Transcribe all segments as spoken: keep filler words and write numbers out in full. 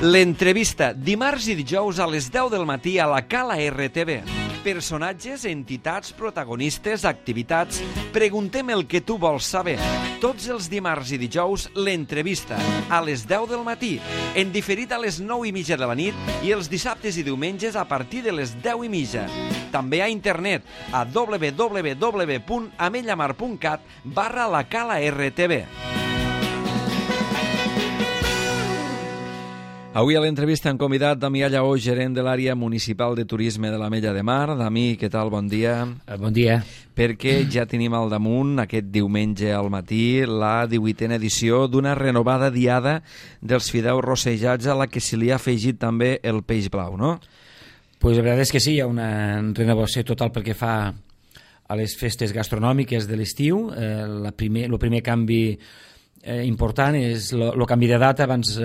L'entrevista, dimarts i dijous a les deu del matí a la Cala R T V. Personatges, entitats, protagonistes, activitats... Preguntem el que tu vols saber. Tots els dimarts i dijous, l'entrevista, a les deu del matí, en diferit a les nou i mitja de la nit i els dissabtes i diumenges a partir de les deu i mitja. També a internet a w w w punt amellamar punt cat barra la Cala R T V. Avui a l'entrevista han convidat Damià Lleó, gerent de l'àrea municipal de turisme de l'Ametlla de Mar. Dami, què tal? Bon dia. Bon dia. Perquè ja tenim al damunt, aquest diumenge al matí, la divuitena edició d'una renovada diada dels fideus rossejats a la que se li ha afegit també el peix blau, no? Pues la veritat és que sí, hi ha una renovació total pel que fa a les festes gastronòmiques de l'estiu. Eh, la primer, el primer canvi Eh, important és el canvi de data. Abans eh,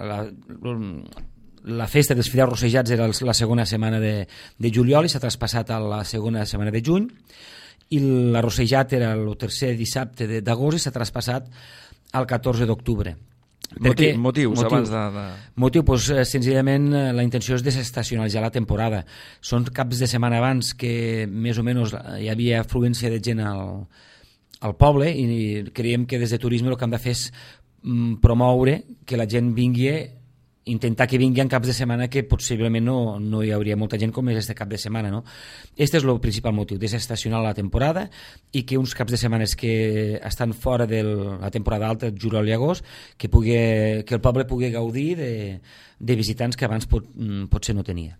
la, la festa dels fideus rossejats era la segona setmana de, de juliol i s'ha traspassat a la segona setmana de juny, i l'arrossejat era el tercer dissabte d'agost i s'ha traspassat al catorze d'octubre. Motiu, motius motiu, abans de... de... Motiu, doncs, senzillament la intenció és desestacionalitzar la temporada. Són caps de setmana abans que més o menys hi havia afluència de gent al al poble, i creiem que des de turisme el que hem de fer és mm, promoure que la gent vingui, intentar que vingui en caps de setmana que possiblement no, no hi hauria molta gent com és este cap de setmana, no? Este és el principal motiu, desestacionar la temporada i que uns caps de setmanes que estan fora de la temporada alta, juliol i agost, que, pugui, que el poble pugui gaudir de, de visitants que abans pot, potser no tenia.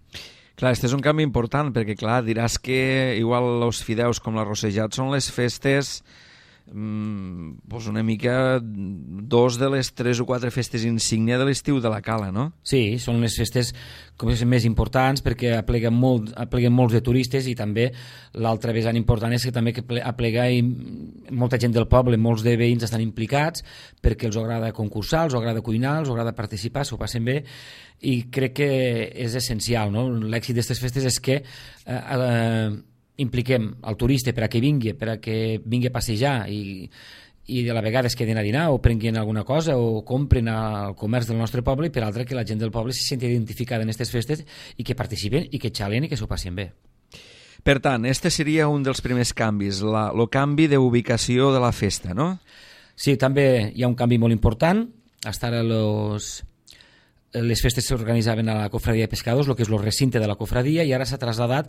Clar, este és un canvi important, perquè clar, diràs que igual els fideus com l'arrossejat són les festes, mmm, pues una mica dos de les tres o quatre festes insígnia de l'estiu de la Cala, no? Sí, són les festes com és, més importants perquè apleguen, molt, apleguen molts de turistes, i també l'altra vessant important és que també que aplega i molta gent del poble, molts de veïns estan implicats perquè els agrada concursar, els agrada cuinar, els agrada participar, s'ho passen bé, i crec que és essencial, no? L'èxit d'aquestes festes és que eh, eh, impliquem el turista per a que vingui, per a que vingui a passejar i, i de la vegada es queden a dinar o prenguin alguna cosa o compren al comerç del nostre poble, i per altra que la gent del poble se senti identificada en aquestes festes i que participen i que xalen i que s'ho passin bé. Per tant, este seria un dels primers canvis, la, el canvi d'ubicació de la festa, no? Sí, també hi ha un canvi molt important. Hasta ara los... les festes s'organitzaven a la cofradia de pescadors, el que és el recinte de la cofradia, i ara s'ha trasladat,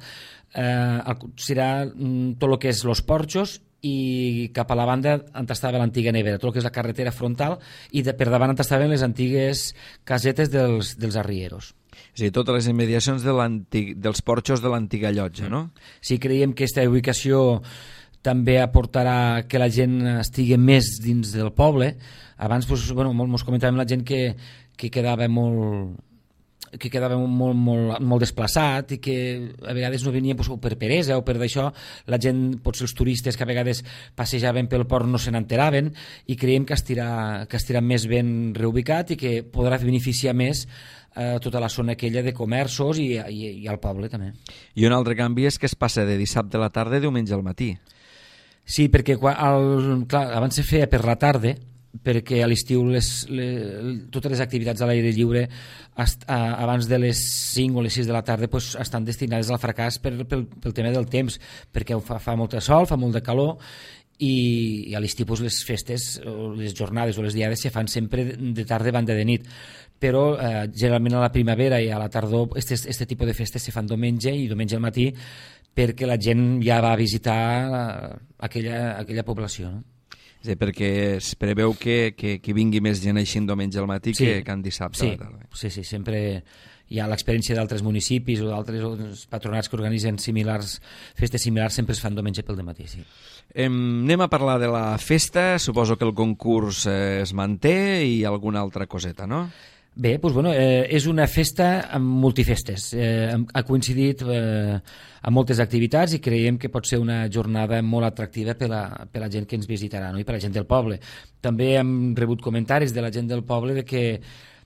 eh, serà tot el que és los porxos, i cap a la banda on estava l'antiga nevera, tot el que és la carretera frontal, i de, per davant on estaven les antigues casetes dels, dels arrieros. És a dir, totes les immediacions de dels porxos de l'antiga llotja, no? Sí, creiem que aquesta ubicació també aportarà que la gent estigui més dins del poble. Abans, doncs, bueno, ens comentàvem la gent que que quedava molt que quedava molt, molt, molt desplaçat i que a vegades no venia doncs, o per peresa o per d'això, la gent, potser els turistes que a vegades passejaven pel port no se n'enteraven, i creiem que estirà, que estirà més ben reubicat i que podrà beneficiar més eh, tota la zona aquella de comerços i, i, i al poble també. I un altre canvi és que es passa de dissabte a la tarda a diumenge al matí. Sí, perquè quan, el, clar, abans se feia per la tarda, perquè a l'estiu les, les, totes les activitats a l'aire lliure est, a, abans de les cinc o les sis de la tarda pues, estan destinades al fracàs per, pel, pel tema del temps, perquè fa, fa molt de sol, fa molt de calor, i, i a l'estiu pues, les festes, les jornades o les diades se fan sempre de tarda banda de nit, però eh, generalment a la primavera i a la tardor aquest tipus de festes se fan diumenge i diumenge al matí, perquè la gent ja va a visitar aquella, aquella població, no? Sí, perquè es preveu que, que, que vingui més gent així en diumenge al matí, sí, que, que en dissabte sí, a la tarda. Sí, sí, sempre hi ha l'experiència d'altres municipis o d'altres patronats que organitzen similars, festes similars, sempre es fan diumenge pel dematí, sí. Eh, anem a parlar de la festa. Suposo que el concurs eh, es manté i alguna altra coseta, no? Bé, doncs, bueno, eh, és una festa amb multifestes. Eh, ha coincidit eh, amb moltes activitats i creiem que pot ser una jornada molt atractiva per a, per a la gent que ens visitarà, no? I per a la gent del poble. També hem rebut comentaris de la gent del poble de que,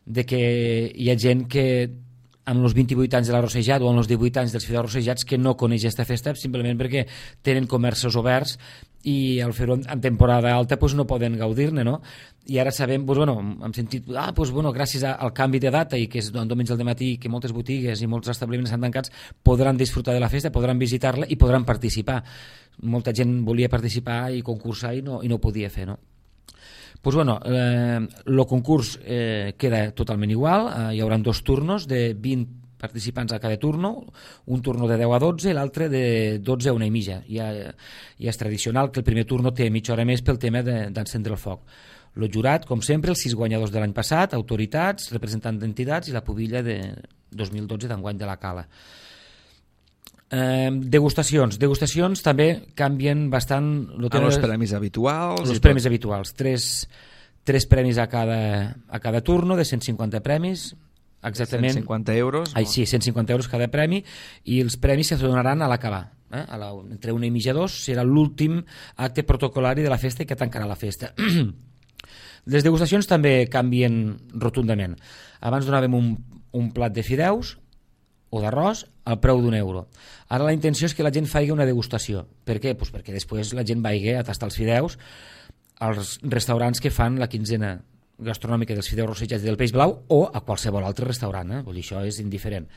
de que hi ha gent que amb els vint-i-vuit anys de l'arrossejat o amb els divuit anys dels fideus arrossejats que no coneix aquesta festa simplement perquè tenen comerços oberts i al fer-ho en temporada alta pues, no poden gaudir-ne, no? I ara sabem, pues, bueno, hem sentit, ah, pues, bueno, gràcies al canvi de data i que és diumenge al matí que moltes botigues i molts establiments estan tancats, podran disfrutar de la festa, podran visitar-la i podran participar. Molta gent volia participar i concursar i no, i no ho podia fer, no? Pues bueno, el eh, concurs eh, queda totalment igual, eh, hi haurà dos turnos de vint participants a cada turno, un turno de deu a dotze i l'altre de dotze a una i mitja. Ja, ja és tradicional que el primer turno té mitja hora més pel tema d'encendre el foc. El jurat, com sempre, els sis guanyadors de l'any passat, autoritats, representants d'entitats i la pubilla de dos mil dotze d'enguany de la Cala. Eh, degustacions. Degustacions també canvien bastant... Amb els premis habituals. Els premis habituals. Tres, tres premis a cada, a cada turno, de cent cinquanta premis, exactament. cent cinquanta euros? Ai, sí, cent cinquanta euros cada premi, i els premis se donaran a l'acabar. Eh? A la, entre una i mitja dos serà l'últim acte protocolari de la festa i que tancarà la festa. Les degustacions també canvien rotundament. Abans donàvem un, un plat de fideus o d'arròs al preu d'un euro. Ara la intenció és que la gent faci una degustació. Per què? Pues perquè després la gent vagi a tastar els fideus als restaurants que fan la quinzena gastronòmica dels fideus rossejats del peix blau o a qualsevol altre restaurant. Eh? Vull dir, això és indiferent.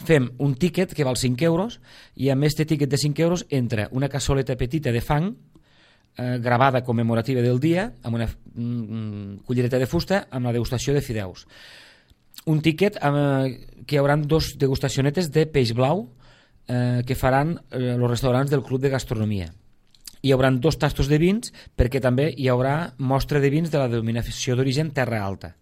Fem un tíquet que val cinc euros i amb aquest tíquet de cinc euros entra una cassoleta petita de fang eh, gravada commemorativa del dia amb una mm, cullereta de fusta amb la degustació de fideus. Un tíquet eh, que hi haurà dos degustacionetes de peix blau eh, que faran eh, els restaurants del Club de Gastronomia. Hi haurà dos tastos de vins perquè també hi haurà mostra de vins de la denominació d'origen Terra Alta.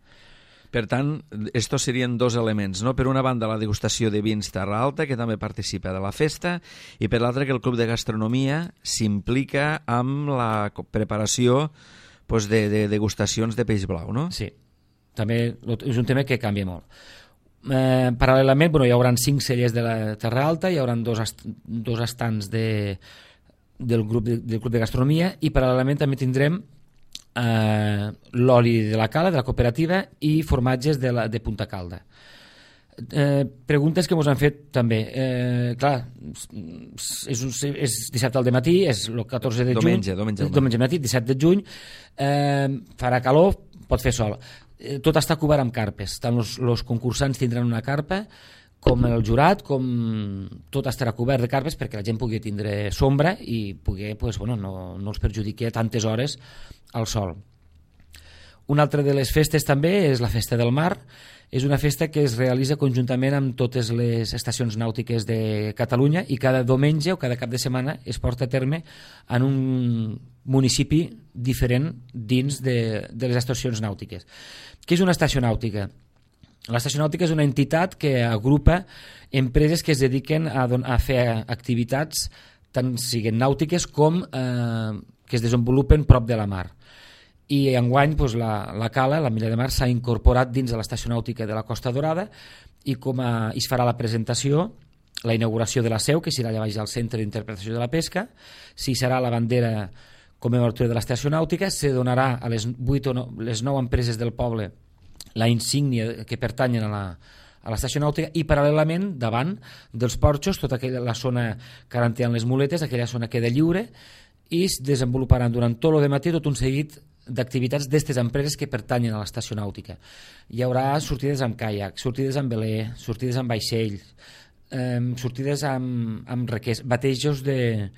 Per tant, estos serien dos elements, no? Per una banda, la degustació de vins Terra Alta, que també participa de la festa, i per l'altra, que el Club de Gastronomia s'implica amb la preparació pues, de, de degustacions de peix blau, no? Sí. També és un tema que canvia molt. Eh, paral·lelament, bueno, hi haurà cinc cellers de la Terra Alta, hi haurà dos, est dos estants de, del, grup de, del Club de Gastronomia i paral·lelament també tindrem eh, l'oli de la Cala, de la cooperativa, i formatges de, la, de Punta Calda. Eh, preguntes que ens han fet també. Eh, clar, és, un, és dissabte al matí, és el catorze de juny. Diumenge, diumenge, diumenge matí, disset de juny. Eh, farà calor, pot fer sol. Tot està cobert amb carpes, tant els, els concursants tindran una carpa com el jurat, com tot estarà cobert de carpes perquè la gent pugui tindre sombra i pugui, pues, bueno, no, no els perjudiqui tantes hores al sol. Una altra de les festes també és la Festa del Mar. És una festa que es realitza conjuntament amb totes les estacions nàutiques de Catalunya i cada diumenge o cada cap de setmana es porta a terme en un municipi diferent dins de, de les estacions nàutiques. Què és una estació nàutica? L'estació nàutica és una entitat que agrupa empreses que es dediquen a, a fer activitats tant siguin nàutiques com eh, que es desenvolupen prop de la mar. I enguany doncs, la, la Cala, la Milla de Mar, s'ha incorporat dins de l'estació nàutica de la Costa Dorada i com a, es farà la presentació, la inauguració de la seu, que serà allà baix al Centre d'Interpretació de la Pesca, si serà la bandera commemorativa de l'estació nàutica, se donarà a les, vuit o no, les nou empreses del poble la insígnia que pertanyen a la, a l'estació nàutica i paral·lelament davant dels porxos, tota aquella, la zona que garantiran les muletes, aquella zona queda lliure i es desenvoluparan durant tot el matí tot un seguit d'activitats d'aquestes empreses que pertanyen a l'estació nàutica. Hi haurà sortides amb caiac, sortides amb veler, sortides amb vaixell, eh, sortides amb, amb requers, batejos de,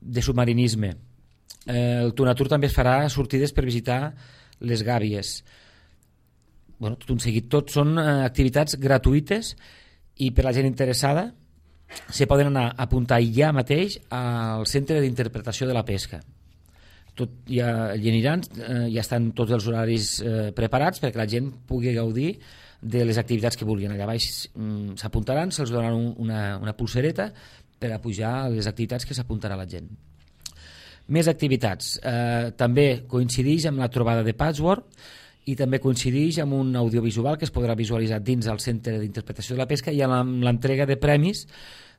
de submarinisme. Eh, el Tunatur també es farà sortides per visitar les gàbies. Bueno, tot un seguit. Tot són eh, activitats gratuïtes i per la gent interessada se poden anar a apuntar ja mateix al Centre d'Interpretació de la Pesca. Tot, ja hi aniran, eh, ja estan tots els horaris eh, preparats perquè la gent pugui gaudir de les activitats que vulguin. Allà baix mm, s'apuntaran, se'ls donaran un, una, una pulsereta per a pujar a les activitats que s'apuntarà la gent. Més activitats. Eh, també coincideix amb la trobada de Patchwork i també coincideix amb un audiovisual que es podrà visualitzar dins el Centre d'Interpretació de la Pesca i amb l'entrega de premis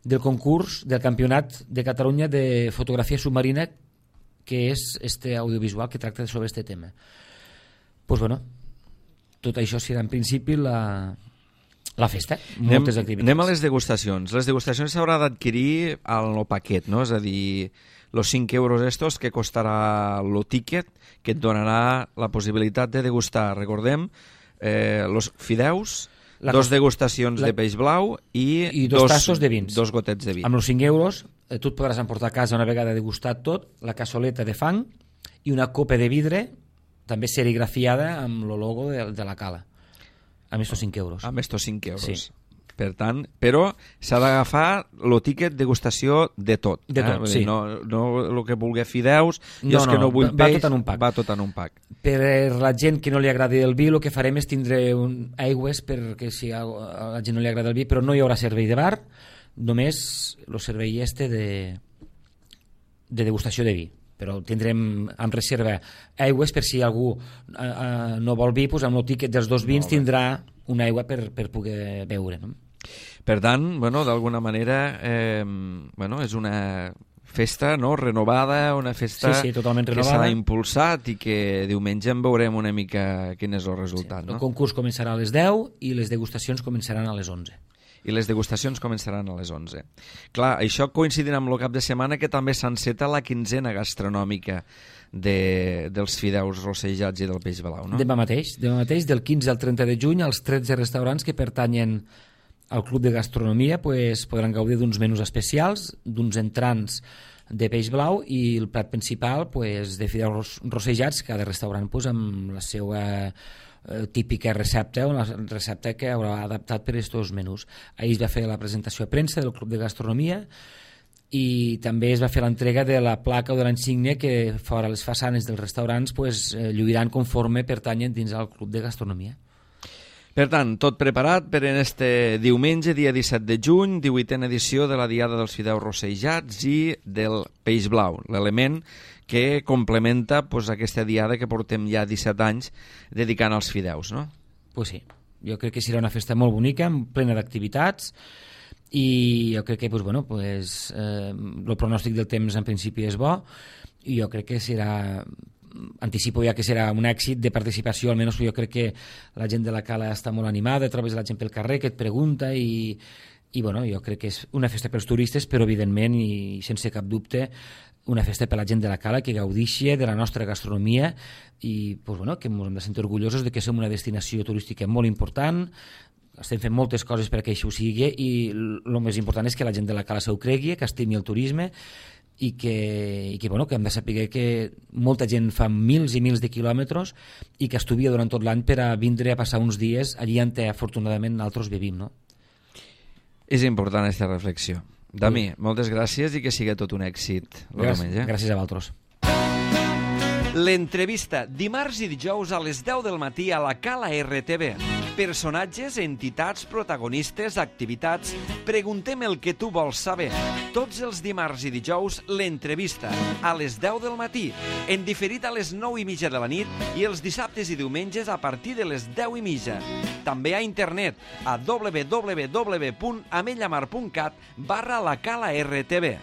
del concurs del Campionat de Catalunya de Fotografia Submarina, que és este audiovisual que tracta sobre este tema. Pues bueno, tot això serà en principi la, La festa, anem, moltes activitats. Anem a les degustacions. Les degustacions s'haurà d'adquirir al paquet, no? És a dir, los cinc euros estos que costarà el ticket, que et donarà la possibilitat de degustar, recordem, eh, los fideus, la dos degustacions la... de peix blau i, i dos, dos tassos de vins. Dos gotets de vi. Amb els cinc euros eh, tu et podràs emportar a casa una vegada degustat tot, la cassoleta de fang i una copa de vidre també serigrafiada amb el logo de, de la cala. Amb estos cinc euros. Amb estos cinc euros. Sí. Per tant, però s'ha d'agafar el tiquet degustació de tot. De tot, eh? sí. No, no el que vulgui fideus, jo no, és que no vull va peix, tot en un pack. va tot en un pack. Per la gent que no li agradi el vi, el que farem és tindre un aigües perquè si a la gent no li agrada el vi, però no hi haurà servei de bar, només el servei este de, de degustació de vi. Però tindrem en reserva aigües per si algú eh, eh, no vol vi, doncs amb el tiquet dels dos vins no, tindrà una aigua per, per poder beure, no? Per tant, bueno, d'alguna manera eh, bueno, és una festa, no?, renovada, una festa sí, sí, totalment que renovada. s'ha impulsat i que diumenge en veurem una mica quin és el resultat. Sí, el no? concurs començarà a les deu i les degustacions començaran a les onze. I les degustacions començaran a les onze. Clar, això coincidirà amb el cap de setmana que també s'enceta la quinzena gastronòmica de, dels fideus rossejats i del peix blau, no? Demà mateix, demà mateix, del quinze al trenta de juny, els tretze restaurants que pertanyen al Club de Gastronomia pues, podran gaudir d'uns menús especials, d'uns entrants de peix blau i el plat principal pues, de fideus rossejats, cada restaurant pues, amb la seva eh, típica recepta o la recepta que haurà adaptat per aquests menús. Ahir es va fer la presentació a premsa del Club de Gastronomia i també es va fer l'entrega de la placa o de l'insígnia que fora les façanes dels restaurants pues, eh, lluiran conforme pertanyen dins al Club de Gastronomia. Per tant, tot preparat per en este diumenge, dia disset de juny, divuitena edició de la Diada dels Fideus Rossejats i del Peix Blau, l'element que complementa pues, aquesta diada que portem ja disset anys dedicant als fideus, no? Pues sí, jo crec que serà una festa molt bonica, plena d'activitats, i jo crec que pues, bueno, pues, eh, el pronòstic del temps en principi és bo, i jo crec que serà... anticipo ja que serà un èxit de participació, almenys jo crec que la gent de la Cala està molt animada, trobes la gent pel carrer que et pregunta i, i bueno, jo crec que és una festa pels turistes, però evidentment i sense cap dubte una festa per la gent de la Cala que gaudixi de la nostra gastronomia i pues, bueno, que ens hem de sentir orgullosos de que som una destinació turística molt important, estem fent moltes coses perquè això ho sigui i el més important és que la gent de la Cala s'ho cregui, que estimi el turisme i que, i que, bueno, que hem de saber que molta gent fa mils i mils de quilòmetres i que estuvia durant tot l'any per a vindre a passar uns dies allí on afortunadament nosaltres vivim, no? És important aquesta reflexió. Dami, sí. Moltes gràcies i que sigui tot un èxit el Gràcies, diumenge. gràcies a vosaltres. L'entrevista, dimarts i dijous a les deu del matí a la Cala R T V. Personatges, entitats, protagonistes, activitats... Preguntem el que tu vols saber. Tots els dimarts i dijous, l'entrevista, a les deu del matí, en diferit a les nou i mitja de la nit i els dissabtes i diumenges a partir de les deu i mitja. També a internet, a w w w punt amellamar punt cat barra la Cala R T V.